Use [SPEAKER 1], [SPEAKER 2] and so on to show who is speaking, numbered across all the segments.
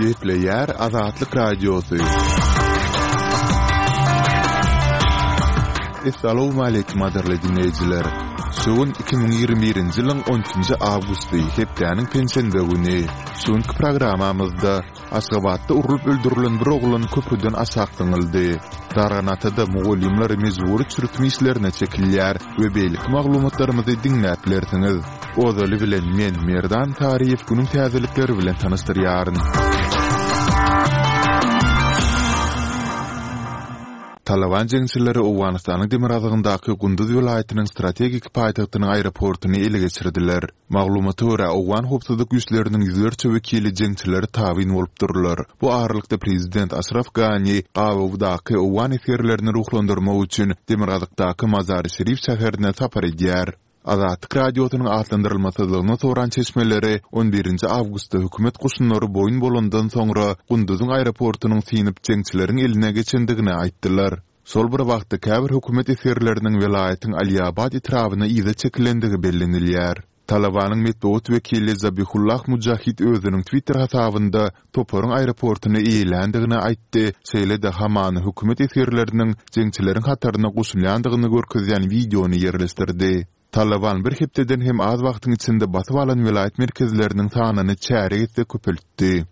[SPEAKER 1] Gepleýär Azatlyk Radiosy. Essalawmaleýkim gadyrly diňleýjiler! Şu gün 2021-nji ýylyň 12-nji awgusty, hepdäniň penşenbe güni. Şu günki programmamyzda Aşgabatda urlup öldürilen bir oglan köprüden aşak zyňyldy. Darganatada mugallymlar mejbury çürütme işlerine çekilýär we beýleki maglumatlarymyzy diňläp bilersiňiz. Ozaly bilen men, Merdan Saryýew günüň täzelikleri bilen tanyşdyrýaryn. Talyban jeňçileri Owganystanyň demirgazygyndaky Gunduz welaýatynyň strategik paýtagtynyň aeroportuny ele geçirdiler. Maglumata görä, owgan howpsuzlyk güýçleriniň ýüzlerçe wekili jeňçilere tabyn bolup durlar. Bu aralykda prezident Aşraf Gani gabawdaky owgan esgerlerini ruhlandyrmak üçin demirgazykdaky Mazary-Şerif şäherine sapar edýär. Azatlyk Radiosynyň atlandyrylmasyzlygyny soran çeşmeleri on birinji awgustda hökümet goşunlary boýun bolandan soňra Gunduzyň aeroportunyň synyp jeňçileriň eline geçendigini aýtdylar. Şol bir wagtda käbir hökümet esgerleriniň welaýatyň Aliabad etrabyna yza çekilendigi bellenilýär. Talabanyň metbugat wekili Zabihullah Mujahid özüniň Twitter hasabynda toparyň aeroportuny eýeländigini aýtdy, şeýle-de hamana hökümet esgerleriniň jeňçileriň hataryna goşulýandygyny görkezýän wideony ýerleşdirdi. Talaban bir hepdeden hem az wagtyň içinde basyp alan welaýat merkezleriniň sanyny çärýek esse köpeltdi.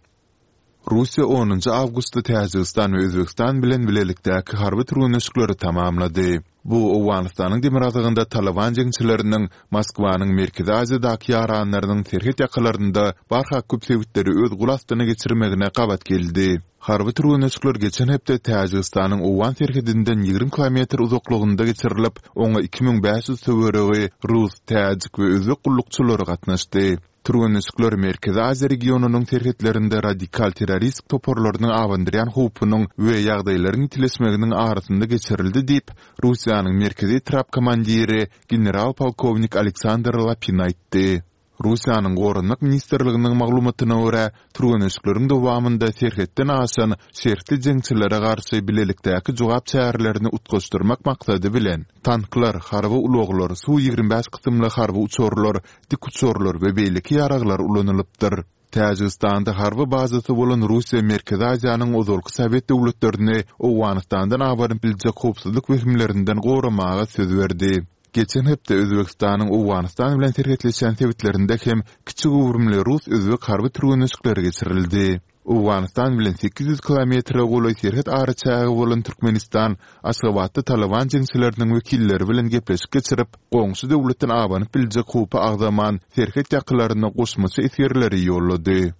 [SPEAKER 1] Russiýa onunjy awgustda Täjigistan we Özbegistan bilen bilelikdäki harby türgenleşikleri tamamlady. Bu Owganystanyň demirgazygynda Talyban jeňçileriniň Moskwanyň Merkezi Aziýadaky ýaranlarynyň serhet ýakalarynda barha köp sebitleri öz gol astyna geçirmegine gabat geldi. Harby türgenleşikler geçen hepde Täjigistanyň owgan serhedinden 20 kilometr uzaklygynda geçirilip, oňa 2500 töweregi rus, täjik we özbek gullukçylary gatnaşdy. Türgenleşikler Merkezi Aziýa regionynyň serhetlerinde radikal terroristik toparlarynyň abandyrýan howpunyň we ýagdaýlaryň ýitileşmeginiň arasynda geçirildi diýip, Russiýanyň Merkezi etrap komandiri general-polkownik Aleksandr Lapin aýtdy. Russiýanyň Goranmak ministrliginiň maglumatyna görä, türgenleşikleriň dowamynda serhetden aşan şertli jeňçilere garşy bilelikdäki jogap çärelerini utgaşdyrmak maksady bilen, tanklar, harby ulaglar, Su-25 kysymly harby uçarlar, dikuçarlar we beýleki ýaraglar ulanylypdyr. Täjigistanda harby bazasy bolan Russiýa Merkezi Aziýanyň ozalky sowet döwletlerini Owganystandan abanyp biljek howpsuzlyk wehimlerinden goramaga söz berdi. Geçen hepde Özbegistanyň Owganystan bilen serhetleşýän sebitlerinde hem kiçi göwrümli rus-özbek harby türgenleşikleri geçirildi. Owganystan bilen 800 kilometre golaý serhet araçägi bolan Türkmenistan Aşgabatda Talyban jeňçileriniň wekilleri bilen gepleşik geçirip, goňşy döwletden abanyp biljek howpy agzaman, serhet ýakalaryna goşmaça esgerleri ýollady.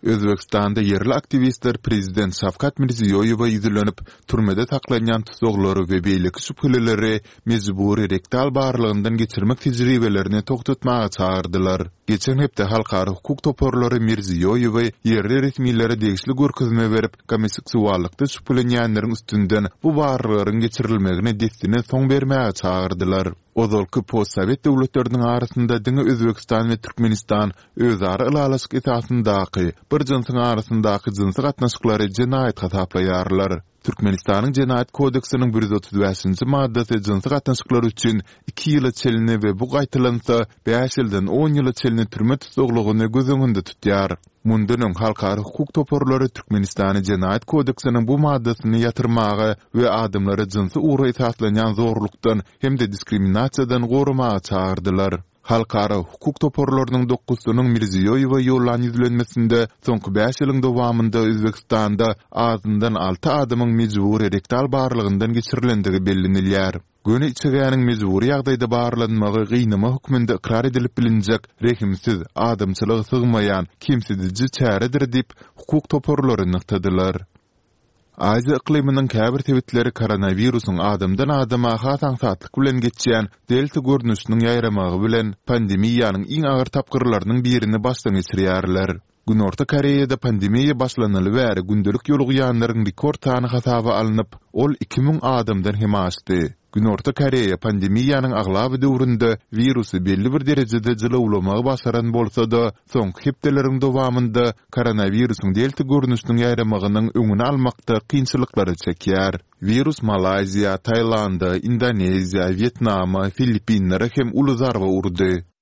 [SPEAKER 1] Özbegistanda ýerli aktiwistler prezident Şawkat Mirziýoýewe ýüzlenip, türmede saklanýan tussaglary we beýleki şübhelileri mejbury rektal barlagyndan geçirmek tejribelerini togtatmaga çagyrdylar. Geçen hepde halkara hukuk toparlary Mirziýoýewe ýerli resmilere degişli görkezme berip, gomoseksuallykda şübhelenýänleriň üstünden bu barlaglaryň geçirilmegine dessine soň bermäge çagyrdylar. Ozalky postsowet döwletleriniň arasynda diňe Özbegistan we Türkmenistan özara ylalaşyk esasyndaky bir jynsyň arasyndaky jynsy gatnaşyklary jenaýat hasaplaýarlar. Türkmenistanyň Jenaýat kodeksiniň 135-nji maddasy jynsy gatnaşyklar üçin iki ýyla çenli we bu gaýtalansa, bäş ýyldan on ýyla çenli türme tussaglygyny göz öňünde tutýar. Mundan öň halkara hukuk toparlary Türkmenistany Jenaýat kodeksiniň bu maddasyny ýatyrmaga we adamlary jynsy ugra esaslanýan zorlukdan hem-de diskriminasiýadan goramaga çagyrdylar. Halkara hukuk toparlarynyň dokuzysynyň Mirziýoýewe ýollan ýüzlenmesinde soňky bäş ýylyň dowamynda Özbegistanda azyndan alty adamyň mejbury rektal barlagyndan geçirilendigi bellenilýär. Göni içegäniň mejbury ýagdaýda barlanmagy gynama hökmünde ykrar edilip bilinjek rehimsiz, adamçylyga sygmaýan, kemsidiji çäredir diýip, hukuk toparlary nygtadylar. Aziýa yklymynyň käbir sebitleri koronawirusyň adamdan adama has aňsatlyk bilen geçýän Delta görnüşiniň ýaýramagy bilen pandemiýanyň iň agyr tapgyrlarynyň birini başdan geçirýärler. Günorta Koreýada pandemiýa başlanaly bäri gündelik ýolugýanlaryň rekord sany hasaba alnyp, ol 2000 adamdan hem aşdy. Günorta Koreýa pandemiýanyň aglaba döwründe wirusy belli bir derejede jylawlamagy başaran bolsa-da, soňky hepdeleriň dowamynda koronawirusyň delta görnüşiniň ýaýramagynyň öňüni almakda kynçylyklary çekýär. Wirus Malaýziýa, Taýlanda, Indoneziýa, Wýetnama, Filippinlere hem uly zarba urdy.